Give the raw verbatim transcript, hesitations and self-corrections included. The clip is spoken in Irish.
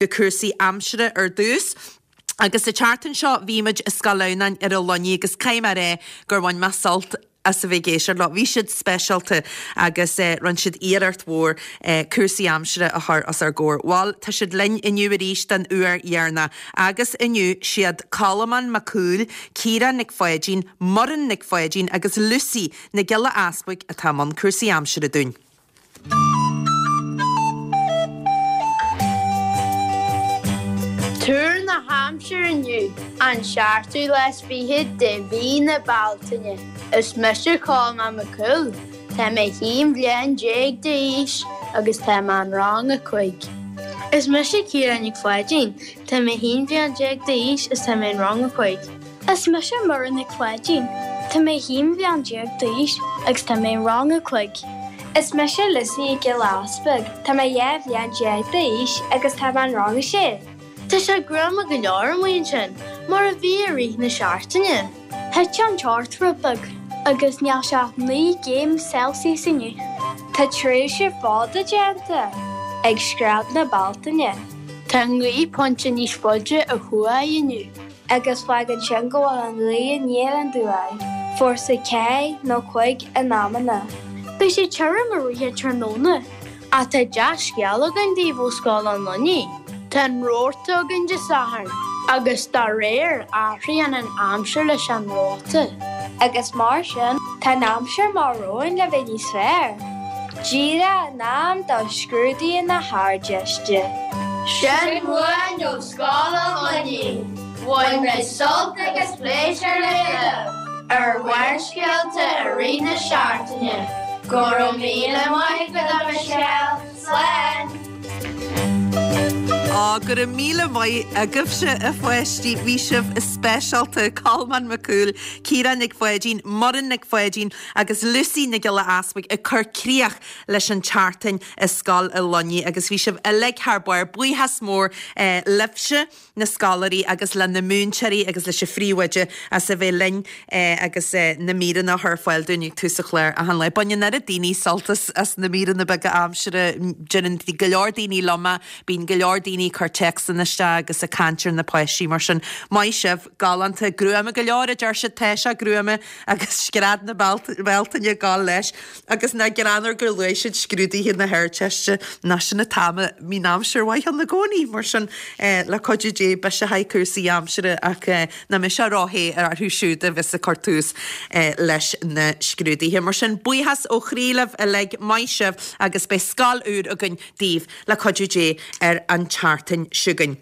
Go cúrsaí aimsire ar dtús. Agus sa tseachtain seo bhí muid i Scoil Adhamhnáin ar an Luinnigh agus caithfidh mé a rá gur bhain mé sult as a bheith ag éisteacht leo. Bhí siad speisialta agus rinne siad iarracht mhór cúrsaí aimsire a chur os ár gcomhair. Bhuel, tá siad linn inniu arís den uair dheireanach agus inniu siad Colmán Mac Cumhaill, Ciara Nic Pháidín, Muireann Nic Pháidín agus Lucy Nic Giolla Easbuig atá i mbun cúrsaí aimsire dúinn. Tuar na haimsire inniu, an seachtú lá is fiche de mhí na Bealtaine. Is mise Colmán Mac Cumhaill, tá mé haon bhliain déag d'aois agus tá mé in rang a cúig. Is mise Ciara Nic Pháidín, tá mé haon bhliain déag d'aois is tá mé in rang a cúig. Is mise Muireann Nic Pháidín, tá mé haon bhliain déag d'aois agus tá mé in rang a cúig. Is mise Lucy Nic Giolla Easbuig, tá mé dhá bhliain déag d'aois agus tá mé in rang a sé. Tá sé gruama go leor amuigh ansin, mar a bhí i rith na seachtaine. Thit an teocht rud beag agus níl sé ach naoi gcéim Celsius inniu. Tá tréimhse fada déanta ag scread na Bealtaine. Tá an ghaoth pointe níos faide ó thuaidh inniu. Agus fágann sin go bhfuil an ghaoth aniar aduaidh, fórsa ceathair nó cúig in amanna. Beidh sé tirim i rith an tráthnóna. Ach tá dea-scéal againn daoibh ó Scoil an Luinnigh. Tá an rota againn Dé Sathairn agus dá réir athraíonn an aimsir leis an rota. Agus mar sin, tá an aimsir amach romhainn le bheith níos fearr. Díreach in am do scrúduithe na hArdteiste. Sin uainn ó Scoil an Luinnigh. Bhain mé sult agus pléisiúr le ar Bharrscéalta i rith na seachtaine. Go raibh míle maith agat a Michelle. Slán! Á, go raibh míle maith agaibhse a pháistí, bhí sibh speisialta, Colmán Mac Cumhaill, Ciara Nic Pháidín, Muireann Nic Pháidín agus Lucy Nic Giolla Easbuig ag cur críoch leis an tseachtain i Scoil an Luinnigh agus bhí sibh uilig thar barr. Buíochas mór libhse. na scoláirí agus le na múinteoirí agus leis an phríomhoide as a bheith linn agus na míreanna a chur ar fáil dúinn ag tús an chláir achan lá. Baineann oiread daoine sult as as na míreanna beaga aimsire, deireann go leor daoine liom é, bíonn go leor daoine ag cur téacsanna isteach agus ag caint ar na páistí mar sin. Maith sibh, galánta, gruama go leor a deir siad, tá sé gruama agus scread na Bealtaine ag gabháil leis agus nach greannmhar gur luaigh siad scrúduithe na hArdteiste, nach sin an t-am a mbíonn aimsir mhaith ann i gcónaí mar sin le cuidiú Dé beidh sé haghaidh cúrsaí aimsire ach nach mbeidh sé ró-the orthu siúd a bheas ag cur tús leis na scrúduithe. Mar sin buíochas ó chroí libh uilig, maith sibh agus beidh scoil úr againn daoibh le cuidiú Dé ar an tseachtain seo chugainn.